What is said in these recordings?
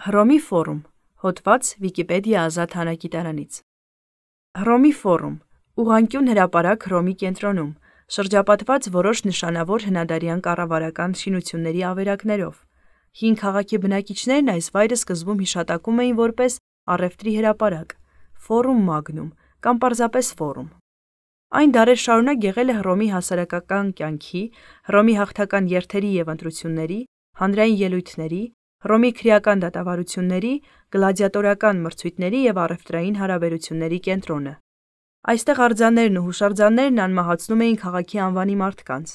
Հռոմի ֆորում, հոդված Վիկիպեդիա ազատ հանրագիտարանից։ Հռոմի ֆորում, ուղղանկյուն հրապարակ Հռոմի կենտրոնում, շրջապատված որոշ նշանավոր հնադարյան կառավարական շինությունների ավերակներով։ Հին քաղաքի բնակիչներն այս վայրը սկզբում հիշատակում էին որպես առևտրի հրապարակ, Ֆորում Մագնում կամ պարզապես ֆորում։ Այն դարեր շարունակ եղել է Հռոմի հասարակական կյանքի, Հռոմի հաղթական երթերի և ընտրությունների, հանրային ելույթների, Հռոմի քրեական դատավարությունների, գլադիատորական մրցույթների և առևտրային հարաբերությունների կենտրոնը։ Այստեղ արձաններն ու հուշարձաններն անմահացնում էին քաղաքի անվանի մարդկանց։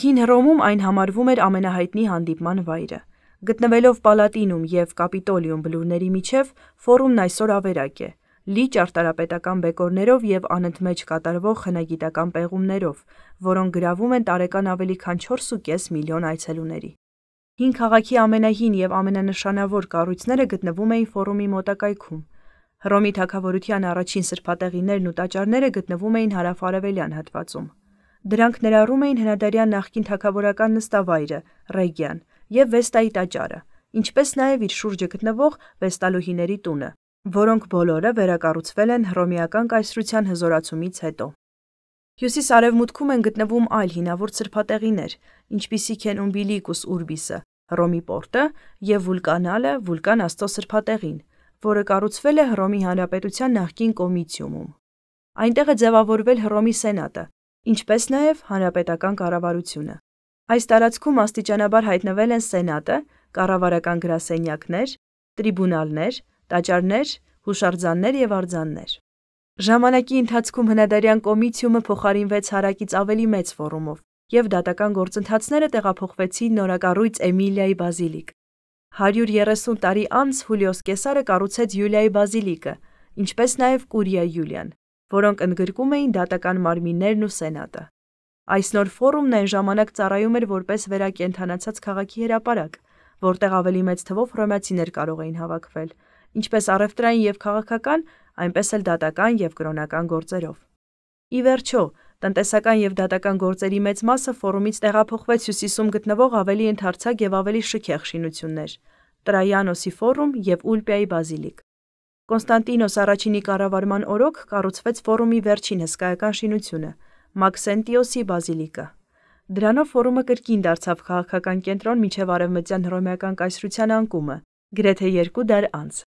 Հին Հռոմում այն համարվում էր ամենահայտնի հանդիպման վայրը։ Գտնվելով Պալատինում և Կապիտոլիում բլուրների միջև, Ֆորումն այսօր ավերակ է, լի ճարտարապետական բեկորներով և անընդմեջ կատարվող հնագիտական պեղումներով, որոնք գրավում են տարեկան ավելի քան 4,5 միլիոն այցելուների։ Հին քաղաքի ամենահին և ամենանշանավոր կառույցները գտնվում էին Ֆորումի մոտակայքում։ Հռոմի թագավորության առաջին սրբատեղիներն ու տաճարները գտնվում էին հարավ-արևելյան հատվածում։ Դրանք ներառում էին հնադարյան նախկին թագավորական նստավայրը Ռեգիան և Վեստայի տաճարը, ինչպես նաև իր շուրջը գտնվող վեստալուհիների տունը, որոնք բոլորը վերակառուցվել են հռոմեական կայսրության հզորացումից հետո։ Հյուսիս-արևմուտքում են գտնվում այլ հինավուրց սրբատեղիներ, ինչպիսիք են Ումբիլիկուս Ուրբիսը, Հռոմի պորտը և Վուլկանալը, Վուլկան աստծո սրբատեղին, որը կառուցվել է Հռոմի Հանրապետության նախկին Կոմիտիումում։ Այնտեղ է ձևավորվել Հռոմի Սենատը, ինչպես նաև հանրապետական կառավարությունը։ Այս տարածքում աստիճանաբար հայտնվել են Սենատը, կառավարական գրասենյակներ, տրիբունալներ, տաճարներ, հուշարձաններ և արձաններ։ Ժամանակի ընթացքում հնադարյան Կոմիտիումը փոխարինվեց հարակից ավելի մեծ Ֆորումով, և դատական գործընթացները տեղափոխվեցին նորակառույց Էմիլիայի բազիլիկ։ 130 տարի անց Հուլիոս Կեսարը կառուցեց Յուլիայի բազիլիկը, ինչպես նաև Կուրիա Յուլիան, որոնք ընդգրկում էին դատական մարմիններն ու Սենատը։ Այս նոր Ֆորումն այն ժամանակ ծառայում էր որպես վերակենդանացած քաղաքի հրապարակ, որտեղ ավելի մեծ թվով հռոմեացիներ կարող էին հավաքվել, ինչպես առևտրային և քաղաքական, այնպես էլ դատական և կրոնական գործերով։ Ի վերջո, տնտեսական և դատական գործերի մեծ մասը Ֆորումից տեղափոխվեց հյուսիսում գտնվող ավելի ընդարձակ և ավելի շքեղ շինություններ՝ Տրայանոսի Ֆորում և Ուլպիայի բազիլիկ։ Կոնստանտինոս առաջինի կառավարման օրոք կառուցվեց Ֆորումի վերջին հսկայական շինությունը՝ Մաքսենտիոսի բազիլիկը։ Դրանով Ֆորումը կրկին դարձավ քաղաքական կենտրոն մինչև արևմտյան հռոմեական կայսրության անկումը, գրեթե 2 դար անց։